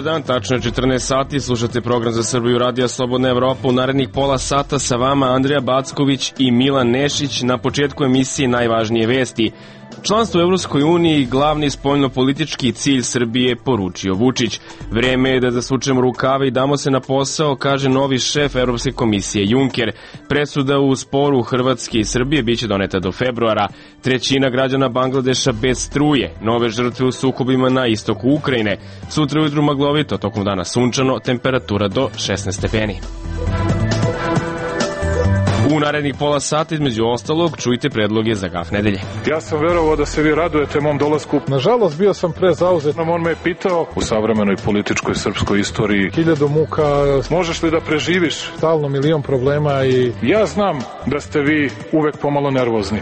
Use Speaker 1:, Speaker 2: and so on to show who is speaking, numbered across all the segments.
Speaker 1: Dobar dan, tačno je 14 sati, slušate program za Srbiju Radija Slobodna Evropa. U narednih pola sata sa vama Andrija Backović i Milan Nešić. Na početku emisije najvažnije vesti. Članstvo u Evropskoj uniji glavni spoljnopolitički cilj Srbije, poručio Vučić. Vreme je da zasučemo rukave i damo se na posao, kaže novi šef Evropske komisije Juncker. Presuda u sporu Hrvatske i Srbije biće doneta do februara. Trećina građana Bangladeša bez struje. Nove žrtve u sukobima na istoku Ukrajine. Sutra ujutru maglovito, tokom dana sunčano, temperatura do 16 stepeni. U narednih pola sata, između ostalog, čujte predloge za gaf nedelje.
Speaker 2: Ja sam verovao da se vi radujete mom dolasku.
Speaker 3: Nažalost, bio sam prezauzet.
Speaker 2: On me je pitao u savremenoj političkoj srpskoj istoriji
Speaker 3: 1000 muka.
Speaker 2: Možeš li da preživiš?
Speaker 3: Stalno milion problema i...
Speaker 2: Ja znam da ste vi uvek pomalo nervozni.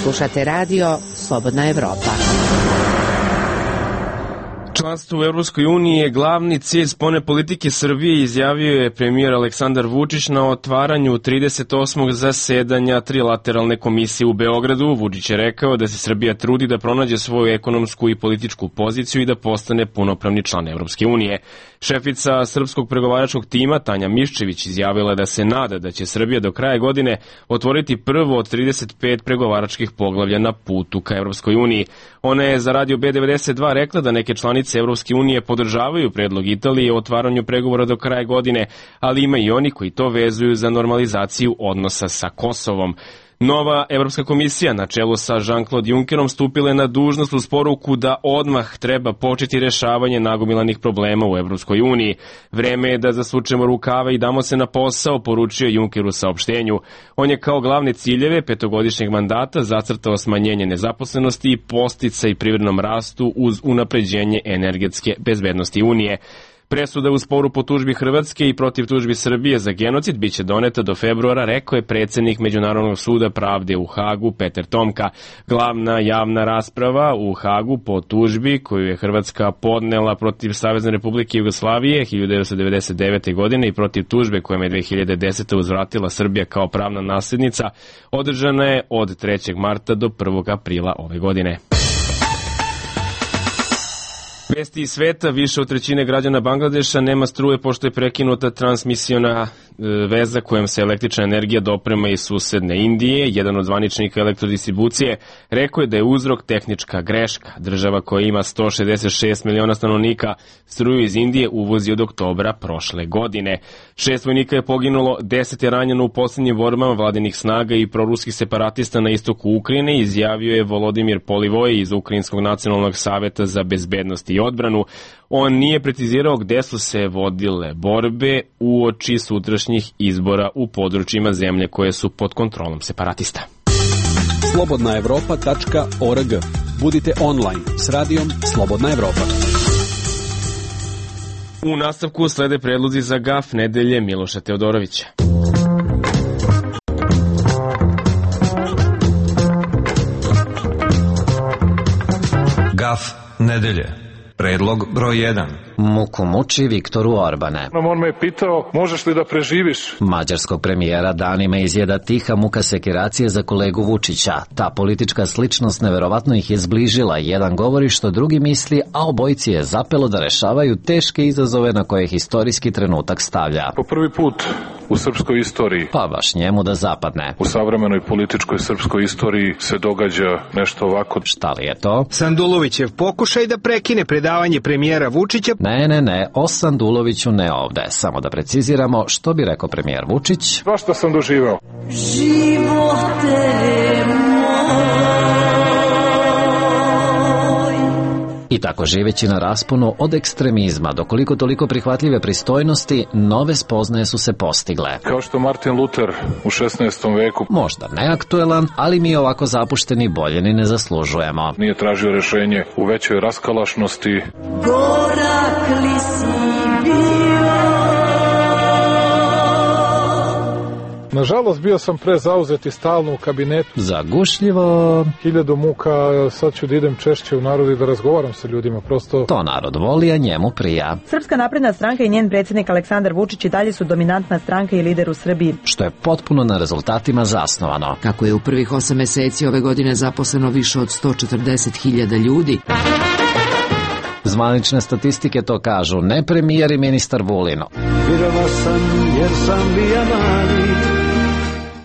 Speaker 4: Slušate radio Slobodna Evropa.
Speaker 1: Članstvo u Evropskoj uniji je glavni cilj spoljne politike Srbije, izjavio je premijer Aleksandar Vučić na otvaranju 38. zasedanja trilateralne komisije u Beogradu. Vučić je rekao da se Srbija trudi da pronađe svoju ekonomsku i političku poziciju i da postane punopravni član Evropske unije. Šefica srpskog pregovaračkog tima Tanja Miščević izjavila da se nada da će Srbija do kraja godine otvoriti prvo od 35 pregovaračkih poglavlja na putu ka Evropskoj uniji. Ona je za radio B92 rekla da neke članice Evropske unije podržavaju predlog Italije o otvaranju pregovora do kraja godine, ali ima i oni koji to vezuju za normalizaciju odnosa sa Kosovom. Nova Evropska komisija na čelu sa Jean-Claude Junckerom stupila je na dužnost uz poruku da odmah treba početi rešavanje nagomilanih problema u Evropskoj uniji. Vreme je da zasučemo rukave i damo se na posao, poručio Juncker u saopštenju. On je kao glavne ciljeve petogodišnjeg mandata zacrtao smanjenje nezaposlenosti i podsticaj privrednom rastu uz unapređenje energetske bezbednosti Unije. Presuda u sporu po tužbi Hrvatske i protiv tužbi Srbije za genocid biće doneta do februara, rekao je predsjednik Međunarodnog suda pravde u Hagu Peter Tomka. Glavna javna rasprava u Hagu po tužbi koju je Hrvatska podnela protiv Savezne Republike Jugoslavije 1999. godine i protiv tužbe kojom je 2010. uzvratila Srbija kao pravna nasljednica, održana je od 3. marta do 1. aprila ove godine. Vesti iz sveta, više od trećine građana Bangladeša nema struje pošto je prekinuta transmisiona veza kojom se električna energija doprema iz susedne Indije. Jedan od zvaničnika elektrodistribucije rekao je da je uzrok tehnička greška. Država koja ima 166 miliona stanovnika struju iz Indije uvozi od oktobra prošle godine. 6 vojnika je poginulo, 10 je ranjeno u posljednjim borbama vladinih snaga i proruskih separatista na istoku Ukrajine, izjavio je Volodimir Polivoj iz Ukrajinskog nacionalnog saveta za bezbednost i odbranu. On nije precizirao gde su se vodile borbe uoči sutrašnjih izbora u područjima zemlje koje su pod kontrolom separatista.
Speaker 5: slobodnaevropa.org. Budite online s radijom Slobodna Evropa.
Speaker 1: U nastavku slede predlozi za gaf nedelje Miloša Teodorovića.
Speaker 6: Gaf nedelje. Predlog broj 1.
Speaker 7: Muku muči Viktoru Orbane.
Speaker 2: On me je pitao, možeš li da preživiš?
Speaker 7: Mađarskog premijera danima izjeda tiha muka sekiracije za kolegu Vučića. Ta politička sličnost neverovatno ih je zbližila. Jedan govori što drugi misli, a obojici je zapelo da rešavaju teške izazove na koje historijski trenutak stavlja.
Speaker 2: Po prvi put u srpskoj istoriji,
Speaker 7: pa baš njemu da zapadne,
Speaker 2: u savremenoj političkoj srpskoj istoriji se događa nešto ovako.
Speaker 7: Šta li je to?
Speaker 8: Sandulovićev pokušaj da prekine predavanje premijera Vučića.
Speaker 7: Ne, o Sanduloviću ne ovde. Samo da preciziramo što bi rekao premijer Vučić.
Speaker 2: Svašta sam doživao.
Speaker 9: Živote
Speaker 7: I tako živeći na rasponu od ekstremizma do koliko toliko prihvatljive pristojnosti, nove spoznaje su se postigle.
Speaker 2: Kao što Martin Luther u 16. veku.
Speaker 7: Možda neaktuelan, ali mi ovako zapušteni bolje ni ne zaslužujemo.
Speaker 2: Nije tražio rešenje u većoj raskalašnosti.
Speaker 9: Gorak li si bio?
Speaker 3: Nažalost, bio sam prezauzet i stalno u kabinetu.
Speaker 7: Zagušljivo.
Speaker 3: 1000 muka, sad ću da idem češće u narod i da razgovaram sa ljudima, prosto...
Speaker 7: To narod voli, a njemu prija.
Speaker 10: Srpska napredna stranka i njen predsjednik Aleksandar Vučić i dalje su dominantna stranka i lider u Srbiji.
Speaker 7: Što je potpuno na rezultatima zasnovano.
Speaker 4: Kako je u prvih 8 meseci ove godine zaposleno više od 140.000 ljudi.
Speaker 7: Zvanične statistike to kažu, ne premijer i ministar Vulin.
Speaker 11: Virova sam jer sam bija mali.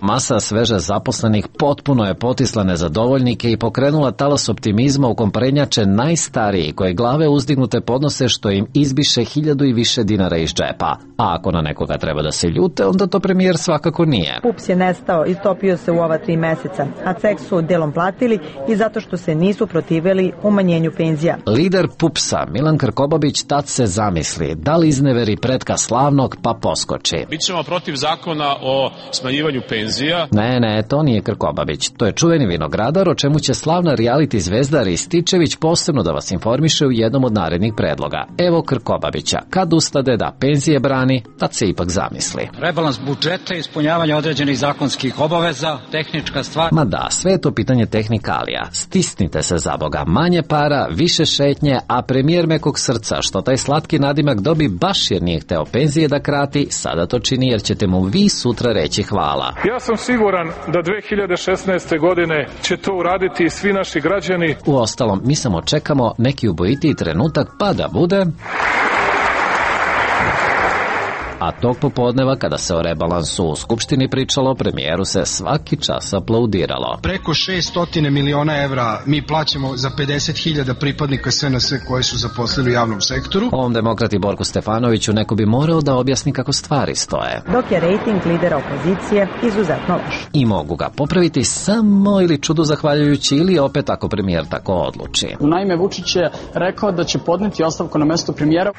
Speaker 7: Masa sveže zaposlenih potpuno je potisla nezadovoljnike i pokrenula talas optimizma u kom prednjače najstariji koji glave uzdignute podnose što im izbiše 1000 i više dinara iz džepa. A ako na nekoga treba da se ljute, onda to premijer svakako nije.
Speaker 10: PUPS je nestao i topio se u ova 3 meseca, a ceh su delom platili i zato što se nisu protivili umanjenju penzija.
Speaker 7: Lider PUPS-a, Milan Krkobabić, tad se zamisli, da li izneveri pretka slavnog pa poskoči.
Speaker 12: Bićemo protiv zakona o smanjivanju penzija.
Speaker 7: Ne, to nije Krkobabić. To je čuveni vinogradar, o čemu će slavna reality zvezda Rističević posebno da vas informiše u jednom od narednih predloga. Evo Krkobabića. Kad ustade da penzije brani, tad se ipak zamisli.
Speaker 13: Rebalans budžeta, ispunjavanje određenih zakonskih obaveza, tehnička stvar.
Speaker 7: Ma da, sve je to pitanje tehnikalija. Stisnite se za Boga. Manje para, više šetnje, a premijer mekog srca, što taj slatki nadimak dobi baš jer nije hteo penzije da krati, sada to čini jer ćete mu vi sutra reći hvala.
Speaker 3: Ja sam siguran da 2016. godine će to uraditi i svi naši građani.
Speaker 7: Uostalom, mi samo čekamo neki ubojitiji trenutak pa da bude... A tog popodneva, kada se o rebalansu u Skupštini pričalo, premijeru se svaki čas aplaudiralo.
Speaker 14: Preko 600 miliona evra mi plaćamo za 50.000 pripadnika SNS koji su zaposlili u javnom sektoru.
Speaker 7: Ovom demokrati Borku Stefanoviću neko bi morao da objasni kako stvari stoje.
Speaker 10: Dok je rejting lidera opozicije izuzetno loš.
Speaker 7: I mogu ga popraviti samo ili čudu zahvaljujući ili opet ako premijer tako odluči.
Speaker 15: Naime, Vučić je rekao da će podneti ostavku na mesto premijera.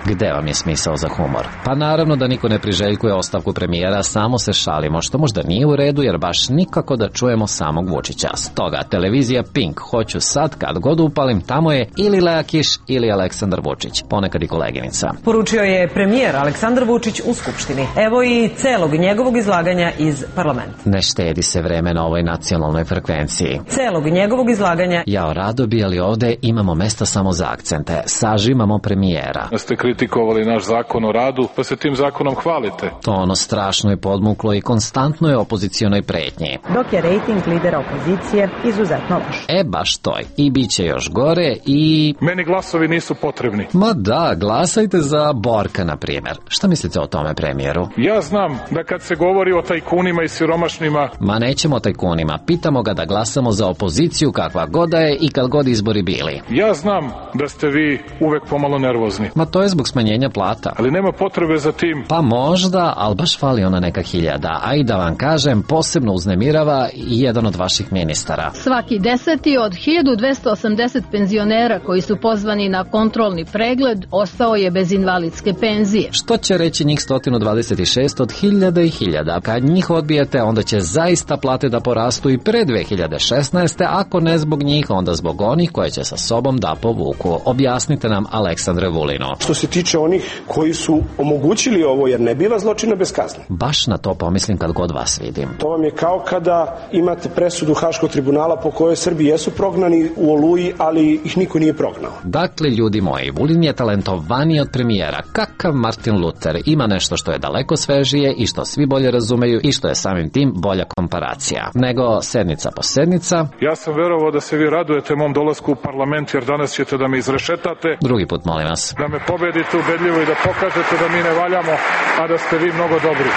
Speaker 7: Gde vam je smisao za humor? Pa naravno da niko ne priželjkuje ostavku premijera, samo se šalimo, što možda nije u redu jer baš nikako da čujemo samog Vučića. Stoga, televizija Pink, hoću sad kad god upalim, tamo je ili Lea Kiš ili Aleksandar Vučić, ponekad i koleginica.
Speaker 16: Poručio je premijer Aleksandar Vučić u Skupštini. Evo i celog njegovog izlaganja iz parlamenta.
Speaker 7: Ne štedi se vreme na ovoj nacionalnoj frekvenciji.
Speaker 16: Celog njegovog izlaganja.
Speaker 7: Jao, rado bi, ali ovde imamo mesta samo za akcente. Sažimamo premijera.
Speaker 2: Kritikovali naš zakon o radu, pa se tim zakonom hvalite.
Speaker 7: To ono strašno je podmuklo i konstantno je opozicionoj pretnji.
Speaker 10: Dok je rejting lidera opozicije izuzetno loš.
Speaker 7: Baš toj. I bit će još gore i...
Speaker 3: Meni glasovi nisu potrebni.
Speaker 7: Ma da, glasajte za Borka, na primjer. Šta mislite o tome, premijeru?
Speaker 3: Ja znam da kad se govori o tajkunima i siromašnima...
Speaker 7: Ma nećemo o tajkunima. Pitamo ga da glasamo za opoziciju kakva god da je i kad god izbori bili.
Speaker 3: Ja znam da ste vi uvek pomalo nervozni.
Speaker 7: Ma to je zbog smanjenja plata.
Speaker 3: Ali nema potrebe za tim.
Speaker 7: Pa možda, ali baš fali ona neka 1000. A i da vam kažem, posebno uznemirava i jedan od vaših ministara.
Speaker 17: Svaki 10. od 1280 penzionera koji su pozvani na kontrolni pregled ostao je bez invalidske penzije.
Speaker 7: Što će reći njih 126 od 1000 i 1000? Kad njih odbijete, onda će zaista plate da porastu i pre 2016. Ako ne zbog njih, onda zbog onih koje će sa sobom da povuku. Objasnite nam, Aleksandre Vulino.
Speaker 18: Što se tiče onih koji su omogućili ovo, jer ne biva zločina bez kazne.
Speaker 7: Baš na to pomislim kad god vas vidim.
Speaker 18: To vam je kao kada imate presudu Haškog tribunala po kojoj Srbi jesu prognani u Oluji, ali ih niko nije prognao.
Speaker 7: Dakle, ljudi moji, Vulin je talentovaniji od premijera. Kakav Martin Luther. Ima nešto što je daleko svežije i što svi bolje razumeju i što je samim tim bolja komparacija. Nego sednica po sednica.
Speaker 3: Ja sam verovao da se vi radujete mom dolasku u parlament, jer danas ćete da me izrešetate.
Speaker 7: Drugi put, molim vas.
Speaker 3: Da me pobedite ubedljivo i da pokažete da mi ne valjamo, a da ste vi mnogo dobri.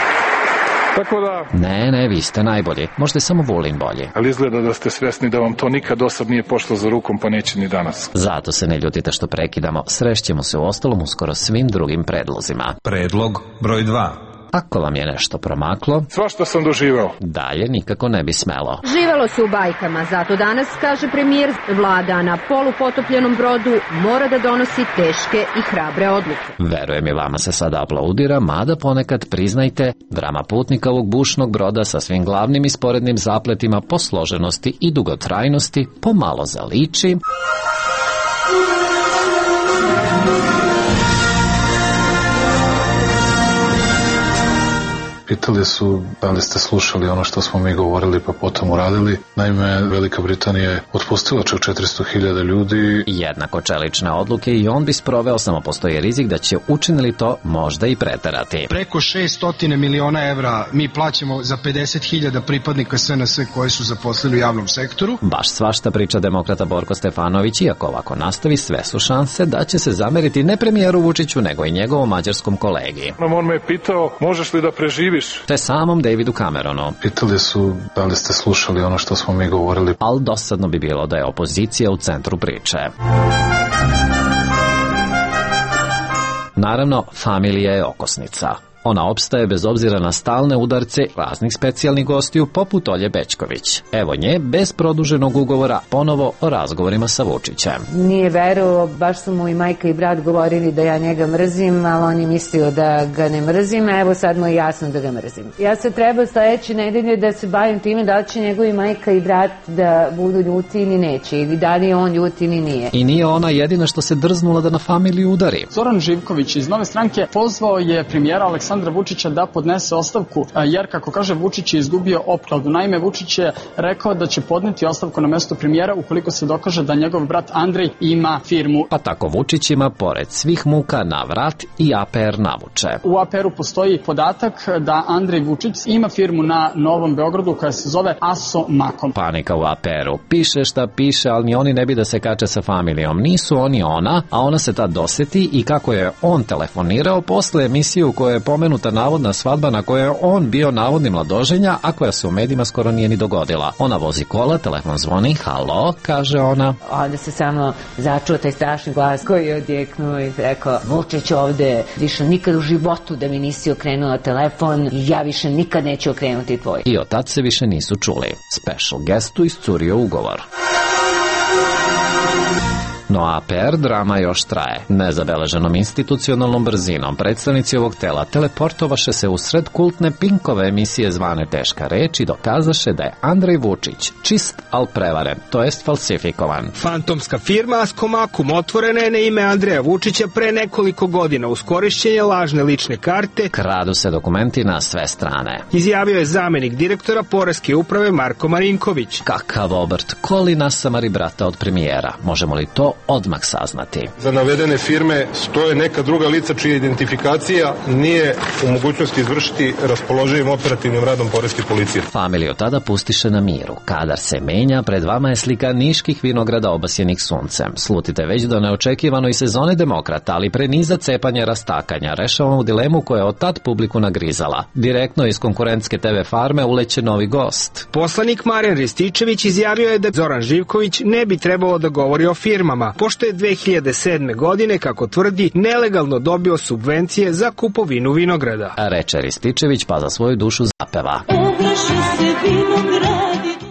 Speaker 3: Tako da...
Speaker 7: Ne, vi ste najbolji. Možda je samo Vulin bolji.
Speaker 2: Ali izgleda da ste svesni da vam to nikad dosad nije pošlo za rukom, pa neće ni danas.
Speaker 7: Zato se ne ljutite što prekidamo. Srešćemo se u ostalom uskoro svim drugim predlozima.
Speaker 6: Predlog broj 2.
Speaker 7: Ako vam je nešto promaklo,
Speaker 3: svašta sam doživeo.
Speaker 7: Dalje nikako ne bi smelo.
Speaker 17: Živelo se u bajkama, zato danas, kaže premijer, vlada na polupotopljenom brodu mora da donosi teške i hrabre odluke.
Speaker 7: Verujem i vama se sada aplaudira, mada ponekad, priznajte, drama putnika ovog bušnog broda sa svim glavnim i sporednim zapletima po složenosti i dugotrajnosti pomalo zaliči...
Speaker 2: Pitali su da li ste slušali ono što smo mi govorili pa potom uradili. Naime, Velika Britanija je otpustila čak 400.000 ljudi.
Speaker 7: Jednako čelične odluke i on bi sproveo, samo postoji rizik da će učinili to možda i preterati.
Speaker 14: Preko 600 miliona evra mi plaćamo za 50.000 pripadnika SNS koji su zaposlili u javnom sektoru.
Speaker 7: Baš svašta priča demokrata Borko Stefanović, iako ovako nastavi, sve su šanse da će se zameriti ne premijeru Vučiću, nego i njegovom mađarskom kolegi.
Speaker 3: On me je pitao, možeš li da preživiš?
Speaker 7: Te samom Davidu Cameronu.
Speaker 2: Pitali su da li ste slušali ono što smo mi govorili.
Speaker 7: Ali dosadno bi bilo da je opozicija u centru priče. Naravno, familija je okosnica. Ona opstaje bez obzira na stalne udarce raznih specijalnih gostiju poput Olje Bećković. Evo nje, bez produženog ugovora, ponovo o razgovorima sa Vučićem.
Speaker 19: Nije verovao, baš su mu i majka i brat govorili da ja njega mrzim, ali on je mislio da ga ne mrzim, a evo sad mu je jasno da ga mrzim. Ja sad treba sledeće nedelje da se bavim time da li će njegovi majka i brat da budu ljuti ili neće, ili da li je on ljuti ili nije.
Speaker 7: I nije ona jedina što se drznula da na familiju udari.
Speaker 15: Zoran Živković iz Nove stranke pozvao je premijera Aleksandra Vučića da podnese ostavku, jer, kako kaže, Vučić je izgubio opkladu. Naime, Vučić je rekao da će podneti ostavku na mesto premijera ukoliko se dokaže da njegov brat Andrej ima firmu.
Speaker 7: Pa tako Vučić ima, pored svih muka, na vrat i APR navuče.
Speaker 15: U APR-u postoji podatak da Andrej Vučić ima firmu na Novom Beogradu koja se zove Aso Makom.
Speaker 7: Panika u APR-u. Piše šta piše, ali ni oni ne bi da se kače sa familijom. Nisu oni ona, a ona se tad doseti i kako je on telefonirao posle emisije u kojoj je pomenuta navodna svadba na kojoj je on bio navodni mladoženja, a koja se u medijima skoro nije ni dogodila. Ona vozi kola, telefon zvoni, halo, kaže ona.
Speaker 19: Onda se samo začuo taj strašni glas koji je odjeknuo i rekao, Vučić ovde, više nikad u životu da mi nisi okrenuo telefon i ja više nikad neću okrenuti tvoj.
Speaker 7: I od tad se više nisu čuli. Special guestu iscurio ugovor. No APR drama još traje. Nezabeleženom institucionalnom brzinom predstavnici ovog tela teleportovaše se u sred kultne Pinkove emisije zvane Teška reč i dokazaše da je Andrej Vučić čist, al prevaren, to jest falsifikovan.
Speaker 8: Fantomska firma Askomakum otvorena je na ime Andreja Vučića pre nekoliko godina uz korišćenje lažne lične karte.
Speaker 7: Kradu se dokumenti na sve strane.
Speaker 8: Izjavio je zamenik direktora Poreske uprave Marko Marinković.
Speaker 7: Kakav obrt, koli nasamari brata od premijera. Možemo li to odmah saznati?
Speaker 20: Za navedene firme stoje neka druga lica čija identifikacija nije u mogućnosti izvršiti raspoloživim operativnim radom poreske policije.
Speaker 7: Familiju tada pustiše na miru. Kadar se menja, pred vama je slika niških vinograda obasjenih suncem. Slutite već do neočekivanoj sezone demokrata, ali pre niza cepanja rastakanja rešavamo dilemu koja je od tad publiku nagrizala. Direktno iz konkurentske TV farme uleće novi gost.
Speaker 8: Poslanik Marijan Rističević izjavio je da Zoran Živković ne bi trebalo da govori o firmama, pošto je 2007. godine, kako tvrdi, nelegalno dobio subvencije za kupovinu vinograda.
Speaker 7: Reče Rističević, pa za svoju dušu zapeva.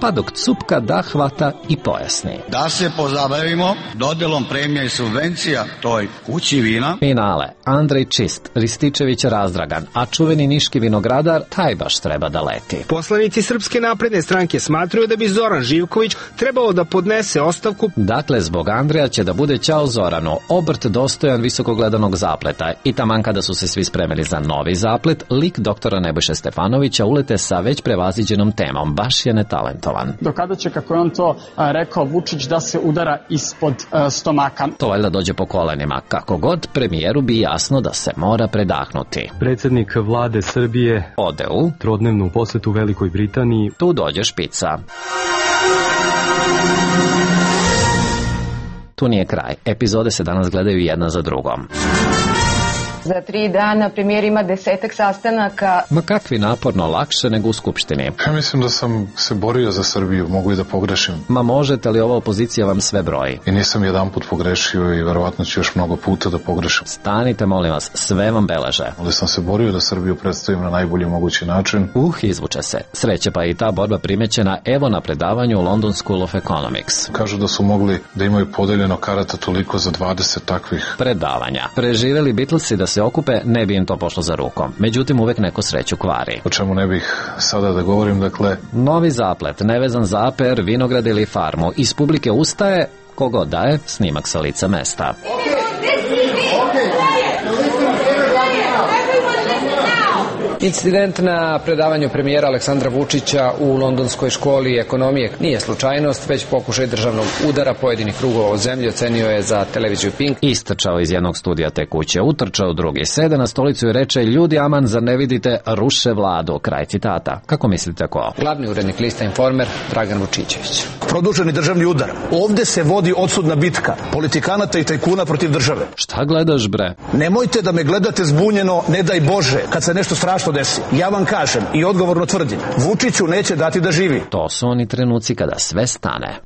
Speaker 7: Pa dok cupka da hvata i pojasni.
Speaker 21: Da se pozabavimo dodelom premija i subvencija toj kući vina.
Speaker 7: Finale. Andrej čist, Rističević razdragan, a čuveni niški vinogradar taj baš treba da leti.
Speaker 8: Poslanici Srpske napredne stranke smatruju da bi Zoran Živković trebalo da podnese ostavku.
Speaker 7: Dakle, zbog Andreja će da bude ćao Zoranu, obrt dostojan visokogledanog zapleta. I taman kada su se svi spremili za novi zaplet, lik doktora Nebojše Stefanovića ulete sa već prevaziđenom temom, baš je netalentovan.
Speaker 15: Do kada će, kako je on to rekao, Vučić da se udara ispod stomaka?
Speaker 7: To valjda dođe po kolenima. Kako god, premijeru bi jasno da se mora predahnuti.
Speaker 22: Predsjednik vlade Srbije
Speaker 7: ode u
Speaker 22: trodnevnu posetu Velikoj Britaniji.
Speaker 7: Tu dođe špica. Tu nije kraj. Epizode se danas gledaju jedna za drugom.
Speaker 23: Za 3 dana premijer ima 10 sastanaka.
Speaker 7: Ma kakvi naporno, lakše nego u Skupštini.
Speaker 2: Ja mislim da sam se borio za Srbiju, mogu i da pogrešim.
Speaker 7: Ma možete li, ova opozicija vam sve broji?
Speaker 2: I nisam jedanput pogrešio i verovatno ću još mnogo puta da pogrešim.
Speaker 7: Stanite, molim vas, sve vam beleže.
Speaker 2: Ali sam se borio da Srbiju predstavim na najbolji mogući način.
Speaker 7: Izvuče se. Sreće pa i ta borba primećena evo na predavanju u London School of Economics.
Speaker 2: Kažu da su mogli da imaju podeljeno karata toliko za 20 takvih
Speaker 7: predavanja. Preživeli Beatlesi da se okupe, ne bi im to pošlo za rukom. Međutim, uvek neko sreću kvari.
Speaker 2: O čemu ne bih sada da govorim, dakle...
Speaker 7: Novi zaplet, nevezan za APR, vinograd ili farmu. Iz publike ustaje, kogod daje, snimak sa lica mesta.
Speaker 1: Incident na predavanju premijera Aleksandra Vučića u Londonskoj školi ekonomije nije slučajnost, već pokušaj državnog udara pojedinih krugova u zemlji, ocenio je za televiziju Pink.
Speaker 7: Istrčao iz jednog studija te kuće, utrčao drugi, sede na stolicu i reče: ljudi, aman, zar ne vidite, ruše vladu. Kraj citata. Kako mislite ko?
Speaker 1: Glavni urednik lista Informer, Dragan Vučićević.
Speaker 5: Produženi državni udar. Ovde se vodi odsudna bitka politikanata i tajkuna protiv države.
Speaker 7: Šta gledaš, bre?
Speaker 5: Nemojte da me gledate zbunjeno, ne daj Bože, kad se nešto strašno desi. Ja vam kažem i odgovorno tvrdim, Vučiću neće dati da živi.
Speaker 7: To su oni trenuci kada sve stane.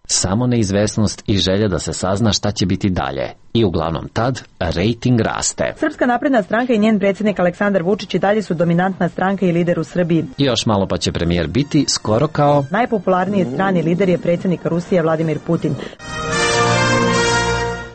Speaker 7: Samo neizvesnost i želja da se sazna šta će biti dalje. I uglavnom tad rejting raste.
Speaker 10: Srpska napredna stranka i njen predsjednik Aleksandar Vučić i dalje su dominantna stranka i lider u Srbiji.
Speaker 7: I još malo pa će premijer biti skoro kao...
Speaker 10: Najpopularniji strani lider je predsjednik Rusije Vladimir Putin.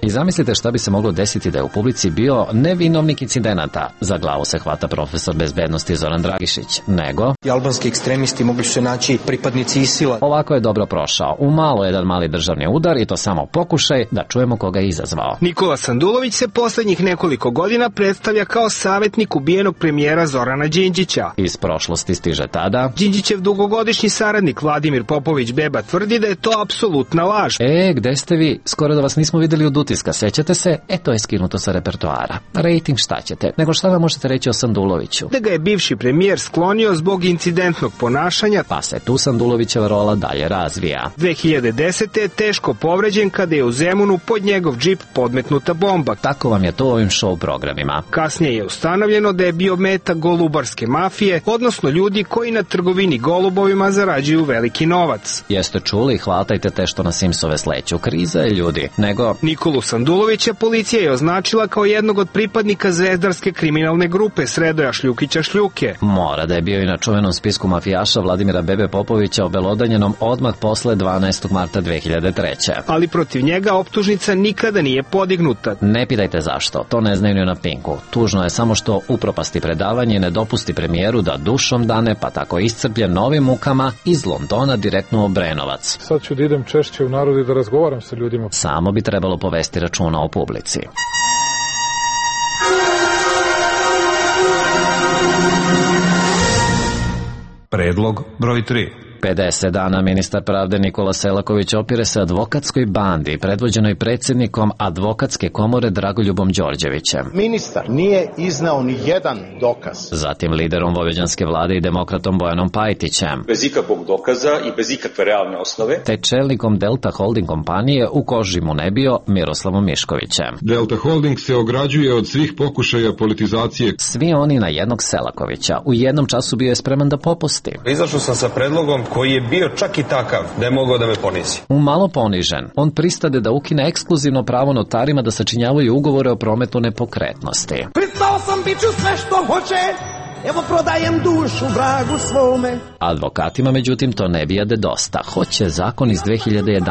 Speaker 7: I zamislite šta bi se moglo desiti da je u publici bio ne vinovnik incidenata, za glavu se hvata profesor bezbednosti Zoran Dragišić, nego...
Speaker 9: I albanski ekstremisti mogli su se naći pripadnici ISIL-a.
Speaker 7: Ovako je dobro prošao. U malo jedan mali državni udar i to samo pokušaj da čujemo koga je izazvao.
Speaker 8: Nikola Sandulović se poslednjih nekoliko godina predstavlja kao savjetnik ubijenog premijera Zorana Đinđića.
Speaker 7: Iz prošlosti stiže tada...
Speaker 8: Đinđićev dugogodišnji saradnik Vladimir Popović Beba tvrdi da je to apsolutna laž.
Speaker 7: Gde ste vi? Skoro da vas nismo videli od utiska, sećate se? To je skinuto sa repertoara. Rating šta ćete? Nego šta vam možete reći o Sanduloviću?
Speaker 8: Da ga je bivši premijer sklonio zbog incidentnog ponašanja,
Speaker 7: pa se tu Sandulovićeva rola dalje razvija.
Speaker 8: 2010. je teško povređen kada je u Zemunu pod njegov džip podmetnuta bomba.
Speaker 7: Tako vam je to u ovim show programima.
Speaker 8: Kasnije je ustanovljeno da je bio meta golubarske mafije, odnosno ljudi koji na trgovini golubovima zarađuju veliki novac.
Speaker 7: Jeste čuli? Hvatajte te što na Simsove sleću. Kriza je, ljudi. Nego...
Speaker 8: Nikolu Sandulovića policija je označila kao jednog od pripadnika zvezdarske kriminalne grupe Sredoja Šljukića Šljuke.
Speaker 7: Mora da je bio i na čuvenom spisku mafijaša Vladimira Bebe Popovića obelodanjenom odmah posle 12. marta 2003.
Speaker 8: Ali protiv njega optužnica nikada nije podignuta.
Speaker 7: Ne pitajte zašto, to ne znaju ni na Pinku. Tužno je samo što upropasti predavanje i ne dopusti premijeru da dušom dane, pa tako iscrpljen novim mukama iz Londona direktno u Obrenovac.
Speaker 3: Sad ću da idem češće u narod i da razgovaram sa ljudima.
Speaker 7: Samo bi trebalo povesti računa o publici.
Speaker 6: Predlog broj 3.
Speaker 7: 50 dana ministar pravde Nikola Selaković opire se advokatskoj bandi predvođenoj predsjednikom advokatske komore Dragoljubom Đorđevićem.
Speaker 24: Ministar nije iznao ni jedan dokaz.
Speaker 7: Zatim liderom vojvođanske vlade i demokratom Bojanom Pajtićem.
Speaker 25: Bez ikakvog dokaza i bez ikakve realne osnove.
Speaker 7: Te čelnikom Delta Holding kompanije u koži mu ne bio Miroslavom Miškovićem.
Speaker 26: Delta Holding se ograđuje od svih pokušaja politizacije.
Speaker 7: Svi oni na jednog Selakovića. U jednom času bio je spreman da popusti.
Speaker 20: Izašao sam sa predlogom koji je bio čak i takav da je mogao da me ponizi.
Speaker 7: Umalo ponižen, on pristade da ukine ekskluzivno pravo notarima da sačinjavaju ugovore o prometu nepokretnosti.
Speaker 27: Pristao sam biću sve što hoće, evo prodajem dušu vragu svome.
Speaker 7: Advokatima, međutim, to ne bijade dosta. Hoće zakon iz 2011.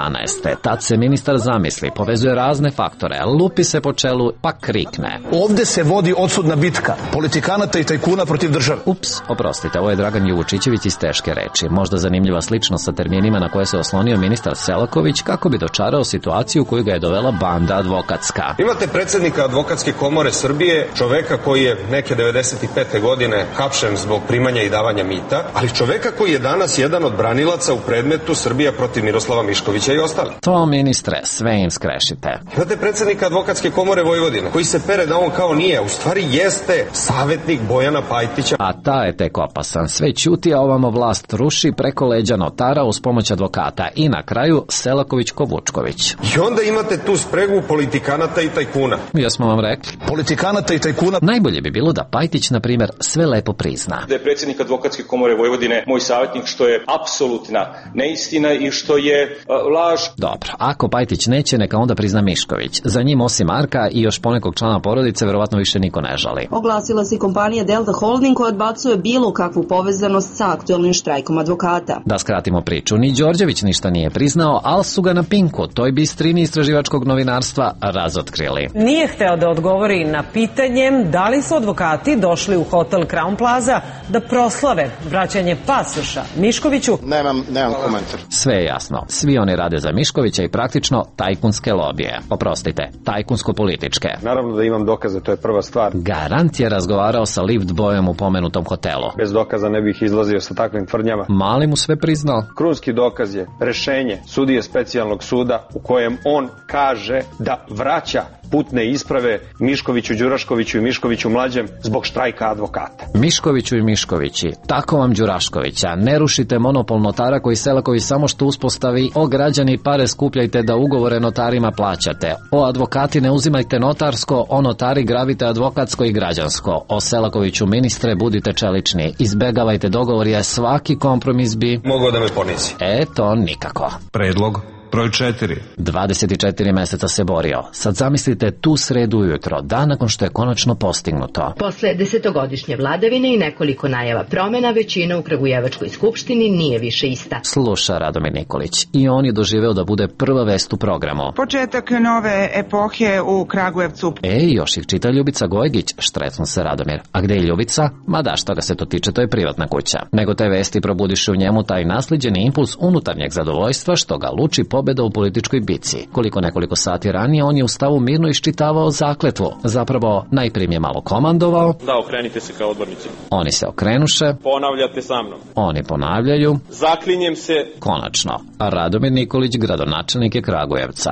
Speaker 7: Tad se ministar zamisli, povezuje razne faktore, lupi se po čelu, pa krikne.
Speaker 5: Ovde se vodi odsudna bitka politikanata i tajkuna protiv države.
Speaker 7: Ups, oprostite, ovo je Dragan Juvučićević iz teške reči. Možda zanimljiva sličnost sa terminima na koje se oslonio ministar Selaković kako bi dočarao situaciju u koju ga je dovela banda advokatska.
Speaker 20: Imate predsjednika advokatske komore Srbije, čoveka koji je neke 95. godine hapšen zbog primanja i davanja mita, ali čoveka koji je danas jedan od branilaca u predmetu Srbija protiv Miroslava Miškovića i ostali.
Speaker 7: To, ministre, sve im skrešite.
Speaker 20: Imate predsjednika advokatske komore Vojvodine, koji se pere da on kao nije, u stvari jeste savjetnik Bojana Pajtića.
Speaker 7: A ta je tek opasan. Sve ćuti, a ovamo vlast ruši preko leđa notara uz pomoć advokata. I na kraju Selaković-Kovučković.
Speaker 20: I onda imate tu spregu politikanata i tajkuna.
Speaker 7: Jesmo vam rekli.
Speaker 5: Politikanata i tajkuna.
Speaker 7: Najbolje bi bilo da Pajtić, na primjer, sve lepo prizna.
Speaker 25: Da je predsjednik advokatske komore Vojvodine moj savjetnik, što je apsolutna neistina i što je laž.
Speaker 7: Dobro, ako Pajtić neće, neka onda prizna Mišković. Za njim osim Marka i još ponekog člana porodice verovatno više niko ne žali.
Speaker 28: Oglasila se kompanija Delta Holding koja odbacuje bilo kakvu povezanost sa aktuelnim štrajkom advokata.
Speaker 7: Da skratimo priču, ni Đorđević ništa nije priznao, ali su ga na Pinku, toj bistrini istraživačkog novinarstva, razotkrili.
Speaker 16: Nije hteo da odgovori na pitanje da li su advokati došli u hotel Kralj Crown Plaza da proslave vraćanje pasoša Miškoviću.
Speaker 24: Nemam komentar.
Speaker 7: Sve je jasno. Svi oni rade za Miškovića i praktično tajkunske lobije. Oprostite, tajkunsko-političke.
Speaker 20: Naravno da imam dokaze, to je prva stvar.
Speaker 7: Garant je razgovarao sa lift bojem u pomenutom hotelu.
Speaker 20: Bez dokaza ne bih izlazio sa takvim tvrdnjama.
Speaker 7: Mali mu sve priznao.
Speaker 20: Krunski dokaz je rešenje sudije specijalnog suda u kojem on kaže da vraća putne isprave Miškoviću, Đuraškoviću i Miškoviću mlađem zbog štrajka advokata.
Speaker 7: Miškoviću i Miškovići, tako vam Đuraškovića, ne rušite monopol notara koji Selaković samo što uspostavi, o građani pare skupljajte da ugovore notarima plaćate, o advokati ne uzimajte notarsko, o notari gravite advokatsko i građansko, o Selakoviću ministre budite čelični, izbegavajte dogovor jer svaki kompromis bi
Speaker 20: mogao da me ponizi.
Speaker 7: To nikako.
Speaker 6: Predlog broj 4.
Speaker 7: 24 meseca se borio. Sad zamislite tu sredu ujutro, dan nakon što je konačno postignuto.
Speaker 28: Posle desetogodišnje vladavine i nekoliko najava promena, većina u Kragujevačkoj skupštini nije više ista.
Speaker 7: Sluša Radomir Nikolić i on je doživeo da bude prva vest u programu.
Speaker 4: Početak nove epohe u Kragujevcu.
Speaker 7: Još ih čita Ljubica Gojgić, štrecnu se Radomir. A gde je Ljubica? Ma da, što ga se to tiče, to je privatna kuća. Nego te vesti probudiše u njemu taj naslijeđeni impuls unutarnjeg zadovoljstva što ga luči pobeda u političkoj bici. Nekoliko sati ranije on je u stavu mirno iščitavao zakletvu. Zapravo, najprije je malo komandovao.
Speaker 11: Da, okrenite se kao odbornici.
Speaker 7: Oni se okrenuše.
Speaker 11: Ponavljate sa mnom.
Speaker 7: Oni ponavljaju.
Speaker 11: Zaklinjem se.
Speaker 7: Konačno. A Radomir Nikolić, gradonačelnik je Kragujevca.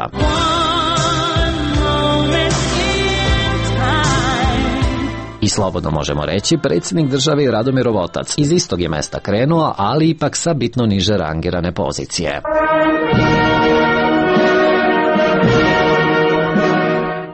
Speaker 7: I slobodno možemo reći, predsjednik države i Radomirov otac. Iz istog je mesta krenuo, ali ipak sa bitno niže rangirane pozicije.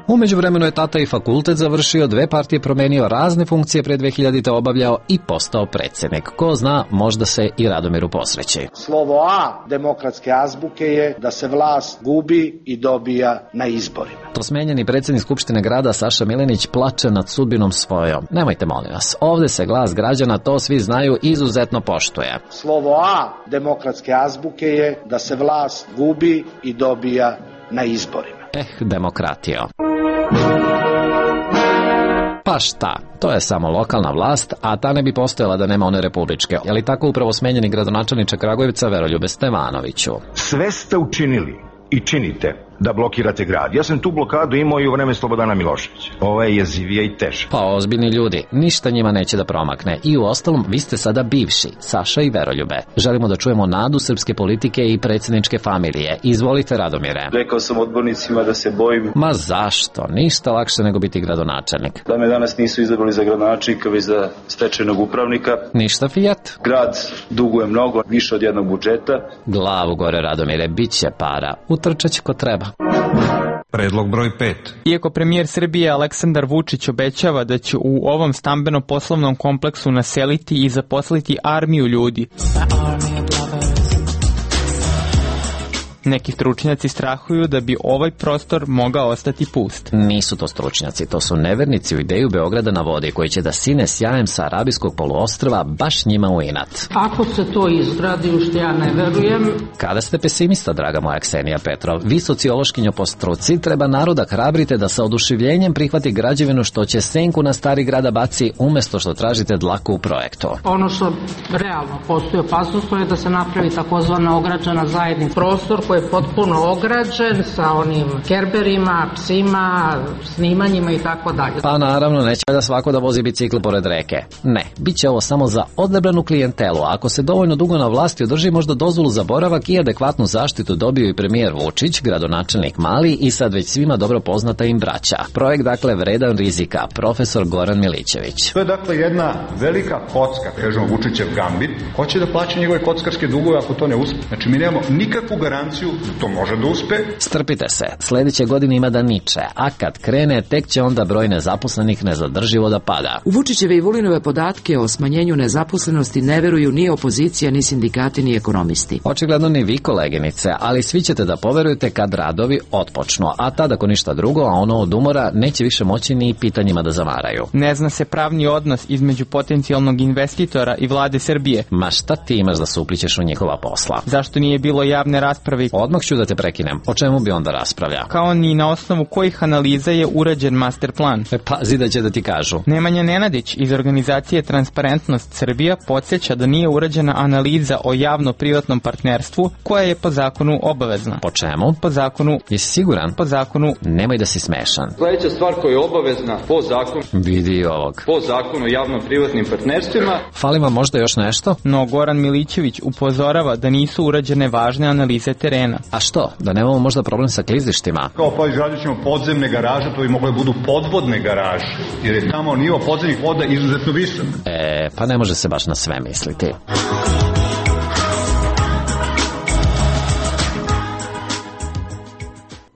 Speaker 7: U međuvremenu je tata i fakultet završio, 2 partije promenio, razne funkcije pre 2000. obavljao i postao predsjednik. Ko zna, možda se i Radomiru posreći.
Speaker 24: Slovo A demokratske azbuke je da se vlast gubi i dobija na izborima.
Speaker 7: To smenjeni predsjednik Skupštine grada Saša Milenić plače nad sudbinom svojom. Nemojte, molim vas, ovde se glas građana, to svi znaju, izuzetno poštuje.
Speaker 24: Slovo A demokratske azbuke je da se vlast gubi i dobija na izborima.
Speaker 7: Demokratio. Pa šta, to je samo lokalna vlast, a ta ne bi postojala da nema one republičke. Je li tako upravo smenjeni gradonačelniče Kragujevca Veroljube Stevanoviću?
Speaker 12: Sve ste učinili i činite da blokirate grad. Ja sam tu blokadu imao i u vreme Slobodana Miloševića. Ovo je jezivija i teža.
Speaker 7: Pa ozbiljni ljudi, ništa njima neće da promakne. I u ostalom, vi ste sada bivši, Saša i Veroljube. Želimo da čujemo nadu srpske politike i predsjedničke familije. Izvolite, Radomire.
Speaker 13: Rekao sam odbornicima da se bojim.
Speaker 7: Ma zašto? Ništa lakše nego biti gradonačelnik.
Speaker 13: Da me danas nisu izabrali za gradonačelnika, već za stečajnog upravnika.
Speaker 7: Ništa Fiat.
Speaker 13: Grad duguje mnogo, više od jednog budžeta.
Speaker 7: Glavu gore, Radomire, bit će para. Utrčat će ko treba.
Speaker 6: Predlog broj 5.
Speaker 14: Iako premijer Srbije Aleksandar Vučić obećava da će u ovom stambeno-poslovnom kompleksu naseliti i zaposliti armiju ljudi, neki stručnjaci strahuju da bi ovaj prostor mogao ostati pust.
Speaker 7: Nisu to stručnjaci, to su nevernici u ideju Beograda na vodi koji će da sine sjajem sa Arabijskog poluostrva baš njima u inat.
Speaker 17: Ako se to izgradi, u što ja ne verujem.
Speaker 7: Kada ste pesimista, draga moja Ksenija Petrov, vi sociološkinjo po struci, treba naroda hrabrite da sa oduševljenjem prihvati građevinu što će senku na stari grada baci umesto što tražite dlaku u projektu.
Speaker 17: Ono što realno postoji opasnost je da se napravi takozvana ograđena zajednica. Prostor koji je potpuno ograđen sa onim kerberima, psima, snimanjima i tako dalje.
Speaker 7: Pa naravno, neće da svako da vozi bicikl pored reke. Ne, bit će ovo samo za odabranu klijentelu. Ako se dovoljno dugo na vlasti održi, možda dozvolu za boravak i adekvatnu zaštitu dobio i premijer Vučić, gradonačelnik Mali i sad već svima dobro poznata im braća. Projekt dakle vredan rizika, profesor Goran Milićević.
Speaker 18: To je dakle jedna velika kocka, kažemo Vučićev gambit, hoće da plaća njegove kockarske dugove ako to ne uspe. Znači mi nemamo nikakvu garanciju da to može da uspe.
Speaker 7: Strpite se, sledeće godine ima da niče, a kad krene, tek će onda broj nezaposlenih nezadrživo da pada.
Speaker 19: U Vučićeve i Vulinove podatke o smanjenju nezaposlenosti ne veruju ni opozicija, ni sindikati, ni ekonomisti.
Speaker 7: Očigledno ni vi, koleginice, ali svi ćete da poverujete kad radovi otpočnu, a tad ako ništa drugo, a ono od umora, neće više moći ni pitanjima da zamaraju.
Speaker 14: Ne zna se pravni odnos između potencijalnog investitora i vlade Srbije.
Speaker 7: Ma šta ti imaš da se uplićeš u njihova posla?
Speaker 14: Zašto nije bilo javne rasprave
Speaker 7: Odmah ću da te prekinem. O čemu bi onda raspravlja?
Speaker 14: Kao ni na osnovu kojih analiza je urađen master plan.
Speaker 7: Pazi da će da ti kažu.
Speaker 14: Nemanja Nenadić iz organizacije Transparentnost Srbija podsjeća da nije urađena analiza o javno-privatnom partnerstvu koja je po zakonu obavezna.
Speaker 7: Po čemu?
Speaker 14: Po zakonu.
Speaker 7: Jesi siguran?
Speaker 14: Po zakonu.
Speaker 7: Nemoj da si smešan.
Speaker 1: Sledeća stvar koja je obavezna po zakonu.
Speaker 7: Vidi ovog.
Speaker 1: Po zakonu o javno-privatnim partnerstvima.
Speaker 7: Fali vam možda još nešto?
Speaker 14: No Goran Milićević upozorava da nisu urađene važne analize terena.
Speaker 7: A što? Da nemamo možda problem sa klizištima?
Speaker 18: Kao pa izgradit ćemo podzemne garaže, to bi mogle budu podvodne garaže, jer je tamo nivo podzemnih voda izuzetno visok.
Speaker 7: Pa ne može se baš na sve misliti.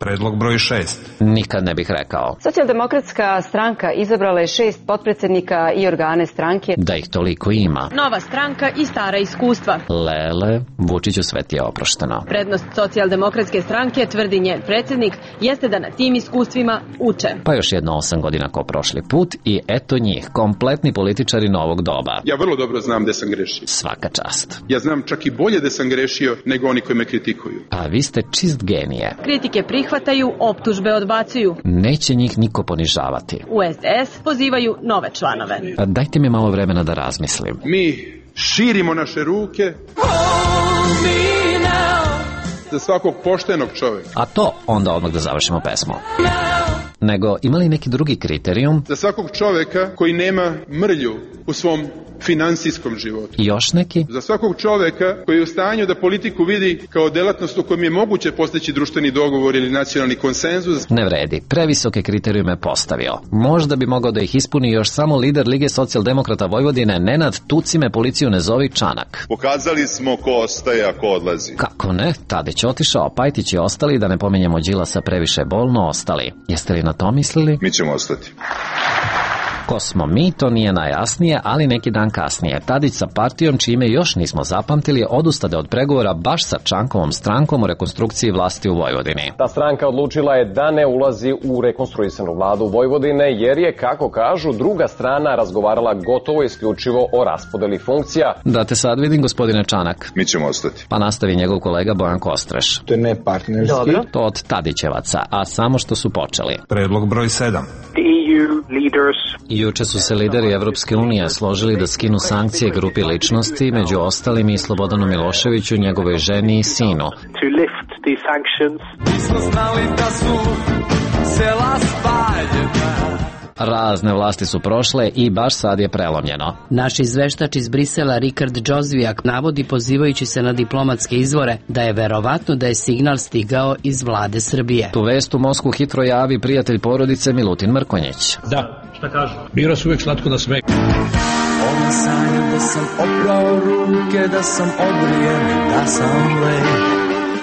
Speaker 6: Predlog broj 6.
Speaker 7: Nikad ne bih rekao.
Speaker 2: Socijaldemokratska stranka izabrala je 6 potpredsednika i organe stranke.
Speaker 7: Da ih toliko ima.
Speaker 2: Nova stranka i stara iskustva.
Speaker 7: Lele, Vučiću sve ti je oprošteno.
Speaker 2: Prednost socijaldemokratske stranke, tvrdi njen predsednik, jeste da na tim iskustvima uče.
Speaker 7: Pa još jedno 8 godina ko prošli put i eto njih, kompletni političari novog doba.
Speaker 9: Ja vrlo dobro znam gde sam grešio.
Speaker 7: Svaka čast.
Speaker 9: Ja znam čak i bolje da sam grešio nego oni koji me kritikuju.
Speaker 7: Pa vi ste čist genije.
Speaker 2: Kritike prihvataju, optužbe odbacuju.
Speaker 7: Neće njih niko ponižavati.
Speaker 2: U SDS pozivaju nove članove.
Speaker 7: Pa dajte mi malo vremena da razmislim.
Speaker 9: Mi širimo naše ruke za svakog poštenog čoveka.
Speaker 7: A to onda odmah da završimo pesmu. Nego, ima li neki drugi kriterijum?
Speaker 9: Za svakog čoveka koji nema mrlju u svom finansijskom životu.
Speaker 7: I još neki?
Speaker 9: Za svakog čoveka koji je u stanju da politiku vidi kao delatnost u kojem je moguće postići društveni dogovor ili nacionalni konsenzus.
Speaker 7: Ne vredi, previsoke kriterijume postavio. Možda bi mogao da ih ispuni još samo lider Lige socijaldemokrata Vojvodine Nenad Tuci me policiju ne zovi Čanak.
Speaker 10: Pokazali smo ko ostaje, a ko odlazi.
Speaker 7: Kako ne? Tadić otišao, Pajtić je ostali, da ne pominjemo Đilasa previše bolno ostali. Jeste li na to mislili?
Speaker 10: Mi ćemo ostati.
Speaker 7: Ko smo mi, to nije najjasnije, ali neki dan kasnije. Tadić sa partijom, čime još nismo zapamtili, odustade od pregovora baš sa Čankovom strankom o rekonstrukciji vlasti u Vojvodini.
Speaker 15: Ta stranka odlučila je da ne ulazi u rekonstruisanu vladu Vojvodine, jer je, kako kažu, druga strana razgovarala gotovo isključivo o raspodeli funkcija.
Speaker 7: Da te sad vidim, gospodine Čanak.
Speaker 10: Mi ćemo ostati.
Speaker 7: Pa nastavi njegov kolega Bojan Kostreš.
Speaker 8: To je nepartnerski.
Speaker 7: Dobro. To od Tadićevaca, a samo što su počeli.
Speaker 6: Predlog broj 7.
Speaker 7: Juče su se lideri Evropske unije složili da skinu sankcije grupi ličnosti, među ostalim i Slobodanu Miloševiću, njegovoj ženi i sinu. Razne vlasti su prošle i baš sad je prelomljeno.
Speaker 19: Naš izveštač iz Brisela Rikard Džozvijak navodi, pozivajući se na diplomatske izvore, da je verovatno da je signal stigao iz vlade Srbije.
Speaker 7: Tu vest u Moskvu hitro javi prijatelj porodice Milutin Mrkonjić.
Speaker 21: Da, šta kažu? Bira se uvijek slatko na smeh.
Speaker 22: Ona sanja da sam oprao ruke, da sam obrijen, da sam lej.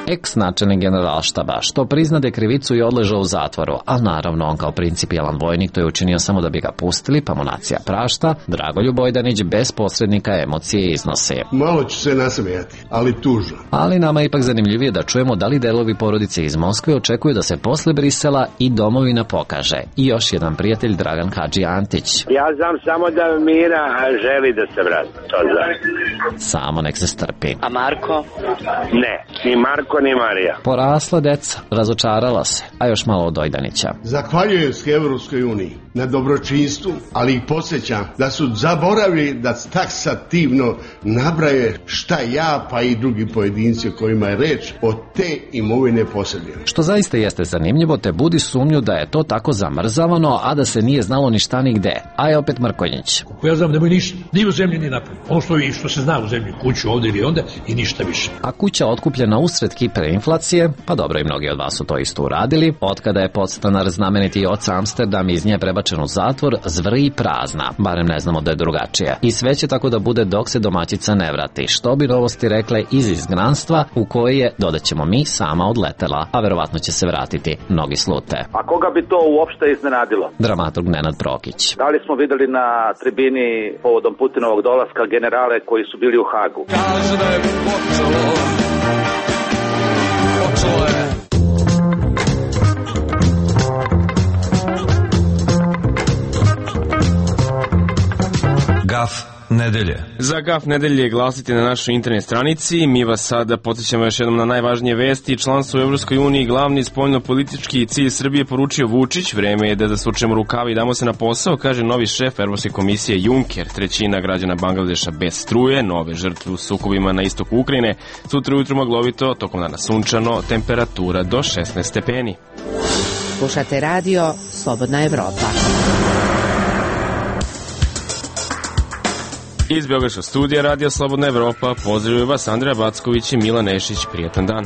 Speaker 7: Ex-načelnik generalštaba, što priznade krivicu i odležao u zatvoru, a naravno on kao principijelan vojnik to je učinio samo da bi ga pustili, pa mu nacija prašta, Dragoljub Bojdanić bez posrednika emocije iznosi.
Speaker 23: Malo ću se nasmijati, ali tužno.
Speaker 7: Ali nama je ipak zanimljivije da čujemo da li delovi porodice iz Moskve očekuju da se posle Brisela i domovina pokaže. I još jedan prijatelj, Dragan Hadži Antić.
Speaker 29: Ja znam samo da Mira želi da se vrati, to znam.
Speaker 7: Samo nek se strpi.
Speaker 29: A Marko? Ne, ni Marko ni Marija.
Speaker 7: Porasla deca, razočarala se, a još malo od Ojdanića.
Speaker 23: Zahvaljujem se Evropskoj uniji na dobročinstvu, ali ih podsjećam da su zaboravili da taksativno nabraje šta ja pa i drugi pojedinci o kojima je reč od te imovine posjeduju.
Speaker 7: Što zaista jeste zanimljivo, te budi sumnju da je to tako zamrzavano, a da se nije znalo ni šta ni gde. A je opet Mrkonjić.
Speaker 21: Ja znam nemoj ništa, ni u zemlji ni napolju. Ono što se zna u zemlji, kuću ovde ili onda i ništa više.
Speaker 7: A kuća otkupljena usred hiperinflacije, pa dobro i mnogi od vas su to isto uradili, otkada je podstanar znameniti oca Amsterdam iz nje prebačen u zatvor, zvrji i prazna, barem ne znamo da je drugačije. I sve će tako da bude dok se domaćica ne vrati, što bi Novosti rekle iz izgnanstva u koje je, dodaćemo mi, sama odletela, a verovatno će se vratiti, mnogi slute.
Speaker 30: A koga bi to uopšte iznenadilo?
Speaker 7: Dramaturg Nenad Prokić.
Speaker 30: Da li smo videli na tribini povodom Putinovog dolaska generale koji su bili u Hagu?
Speaker 22: Kaže da je počelo je.
Speaker 6: Gaf nedelje.
Speaker 3: Za gaf nedelje glasite na našoj internet stranici. Mi vas sada podsjećamo još jednom na najvažnije vesti. Članstvo u Evropskoj uniji, glavni spoljno-politički cilj Srbije, poručio Vučić. Vreme je da zasučemo rukave i damo se na posao, kaže novi šef Evropske komisije Juncker. Trećina građana Bangladeša bez struje, nove žrtve u sukobima na istoku Ukrajine. Sutra ujutru maglovito, tokom dana sunčano, temperatura do 16 stepeni.
Speaker 4: Slušate radio Slobodna Evropa.
Speaker 3: Iz Beogradskog studija Radio Slobodna Evropa pozdravljaju vas Andreja Backović i Milan Nešić. Prijatan dan.